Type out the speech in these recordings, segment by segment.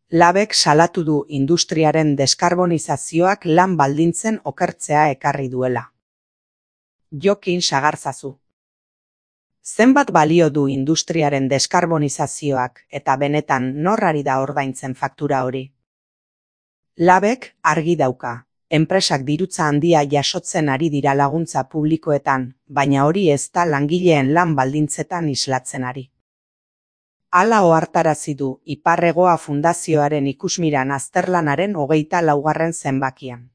Labek salatu du industriaren deskarbonizazioak lan baldintzen okertzea ekarri duela. Jokin Sagarzazu. Zenbat balio du industriaren deskarbonizazioak eta benetan nor ari da ordaintzen faktura hori? Labek argi dauka. Enpresak dirutza handia jasotzen ari dira laguntza publikoetan, baina hori ez da langileen lan baldintzetan islatzen ari. Hala ohartarazi du Ipar-Hegoa Fundazioaren ikusmiran azterlanaren 24. zenbakian.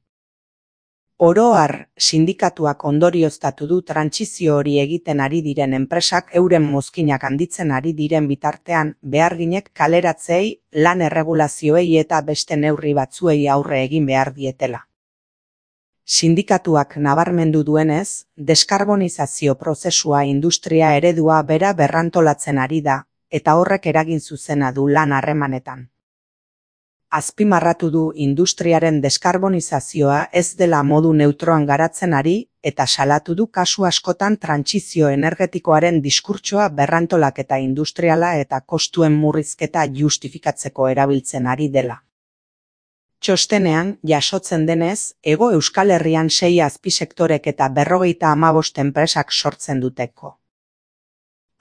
Oro har, sindikatuak ondorioztatu du trantsizio hori egiten ari diren enpresak euren mozkinak handitzen ari diren bitartean, beharginek kaleratzeei, lan erregulazioei eta beste neurri batzuei aurre egin behar dietela. Sindikatuak nabarmendu duenez, deskarbonizazio prozesua industria eredua bera berrantolatzen ari da, eta horrek eragin zuzena du lan harremanetan. Azpimarratu du industriaren deskarbonizazioa ez dela modu neutroan garatzen ari, eta salatu du kasu askotan trantsizio energetikoaren diskurtsoa berrantolaketa industriala eta kostuen murrizketa justifikatzeko erabiltzen ari dela. Txostenean, jasotzen denez, Hego Euskal Herrian 6 azpisektorek eta 55 enpresak sortzen duteko.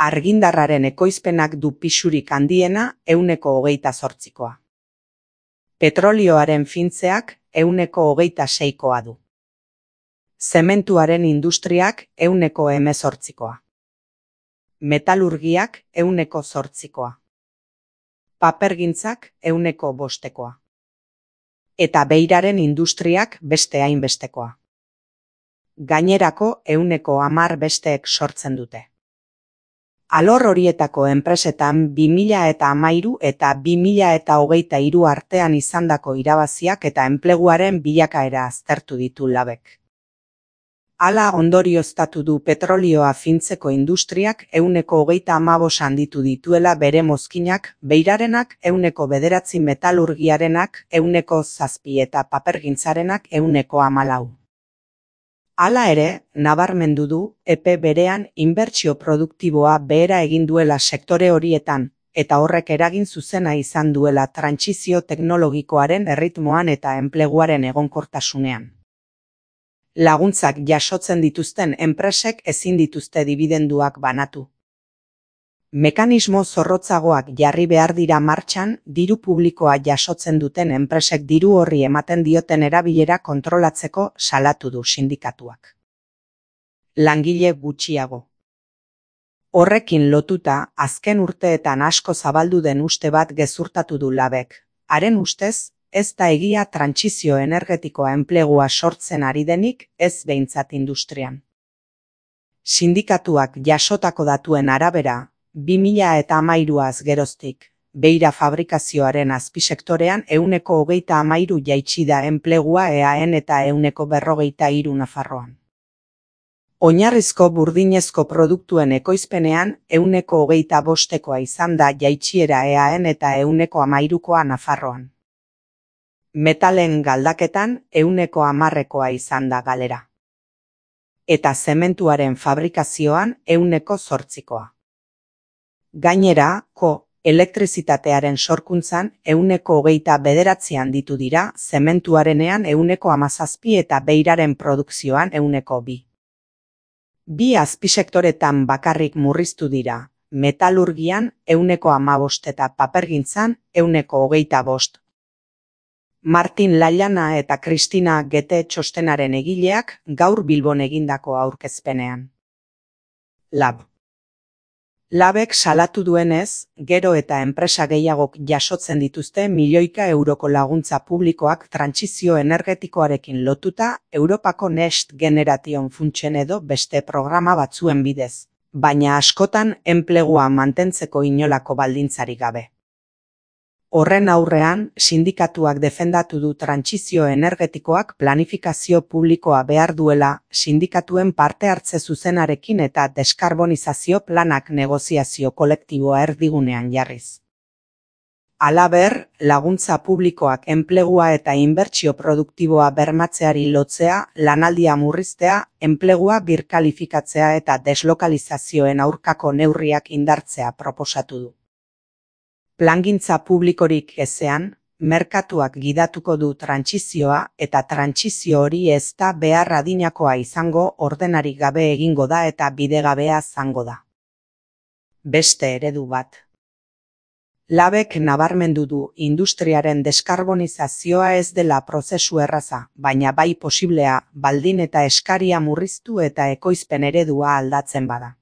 Argindarraren ekoizpenak du pisurik handiena 28%. Petrolioaren fintzeak 26%koa du. Zementuaren industriak 18%koa. Metalurgiak 8%koa. Papergintzak 5%koa. Eta beiraren industriak beste hainbestekoa. Gainerako 10% besteek sortzen dute. Alor horietako enpresetan 2013 eta 2023 artean izandako irabaziak eta enpleguaren bilakaera aztertu ditu Labek. Hala ondorioztatu du petrolioa fintzeko industriak 135 handitu dituela bere mozkinak, beirarenak 9%, metalurgiarenak 7% eta papergintzarenak 14%. Hala ere, nabarmendu du, epe berean inbertsio produktiboa behera egin duela sektore horietan, eta horrek eragin zuzena izan duela trantsizio teknologikoaren erritmoan eta enpleguaren egonkortasunean. Laguntzak jasotzen dituzten enpresek ezin dituzte dibidenduak banatu. Mekanismo zorrotzagoak jarri behar dira martxan, diru publikoa jasotzen duten enpresek diru horri ematen dioten erabilera kontrolatzeko salatu du sindikatuak. Langile gutxiago. Horrekin lotuta, azken urteetan asko zabaldu den uste bat gezurtatu du Labek. Haren ustez, ez da egia trantsizio energetikoa enplegua sortzen ari denik, ez behintzat industrian. Sindikatuak jasotako datuen arabera, 2013az geroztik, beira fabrikazioaren azpisektorean 123% jaitsi da enplegua EAEn eta 143% Nafarroan. Oinarrizko burdinezko produktuen ekoizpenean 125%koa izan da jaitsiera EAEn eta 113%koa Nafarroan. Metalen galdaketan 110%koa izan da galera. Eta zementuaren fabrikazioan 8%koa. Gainera, elektrizitatearen sorkuntzan 29% handitu dira, zementuarenean 17% eta beiraren produkzioan 2%. Bi azpisektoretan bakarrik murriztu dira, metalurgian 15% eta papergintzan 25%. Martin Lallana eta Kristina Gete txostenaren egileak gaur Bilbon egindako aurkezpenean. Labek salatu duenez, gero eta enpresa gehiagok jasotzen dituzte milioika euroko laguntza publikoak trantsizio energetikoarekin lotuta Europako Next Generation funtsen edo beste programa batzuen bidez, baina askotan enplegua mantentzeko inolako baldintzarik gabe. Horren aurrean, sindikatuak defendatu du trantsizio energetikoak planifikazio publikoa behar duela, sindikatuen parte hartze zuzenarekin eta deskarbonizazio planak negoziazio kolektiboa erdigunean jarriz. Halaber, laguntza publikoak enplegua eta inbertsio produktiboa bermatzeari lotzea, lanaldia murriztea, enplegua birkalifikatzea eta deslokalizazioen aurkako neurriak indartzea proposatu du. Plangintza publikorik ezean, merkatuak gidatuko du trantsizioa eta trantsizio hori ez da behar adinakoa izango, ordenarik gabe egingo da eta bidegabea zango da. Beste eredu bat. Labek nabarmendu du industriaren deskarbonizazioa ez dela prozesu erraza, baina bai posiblea baldin eta eskaria murriztu eta ekoizpen eredua aldatzen bada.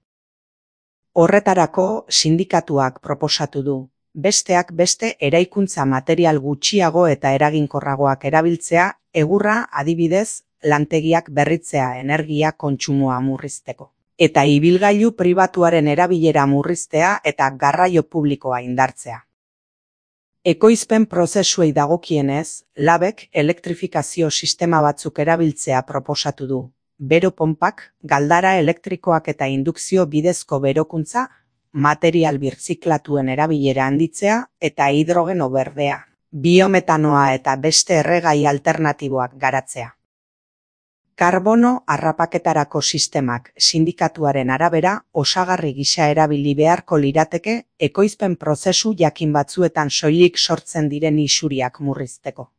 Horretarako sindikatuak proposatu du, besteak beste eraikuntza material gutxiago eta eraginkorragoak erabiltzea, egurra adibidez, lantegiak berritzea energia kontsumoa murrizteko. Eta ibilgailu pribatuaren erabilera murriztea eta garraio publikoa indartzea. Ekoizpen prozesuei dagokienez, Labek elektrifikazio sistema batzuk erabiltzea proposatu du. Bero ponpak, galdara elektrikoak eta indukzio bidezko berokuntza, material birziklatuen erabilera handitzea eta hidrogeno berdea, biometanoa eta beste erregai alternatiboak garatzea. Karbono harrapaketarako sistemak sindikatuaren arabera osagarri gisa erabili beharko lirateke ekoizpen prozesu jakin batzuetan soilik sortzen diren isuriak murrizteko.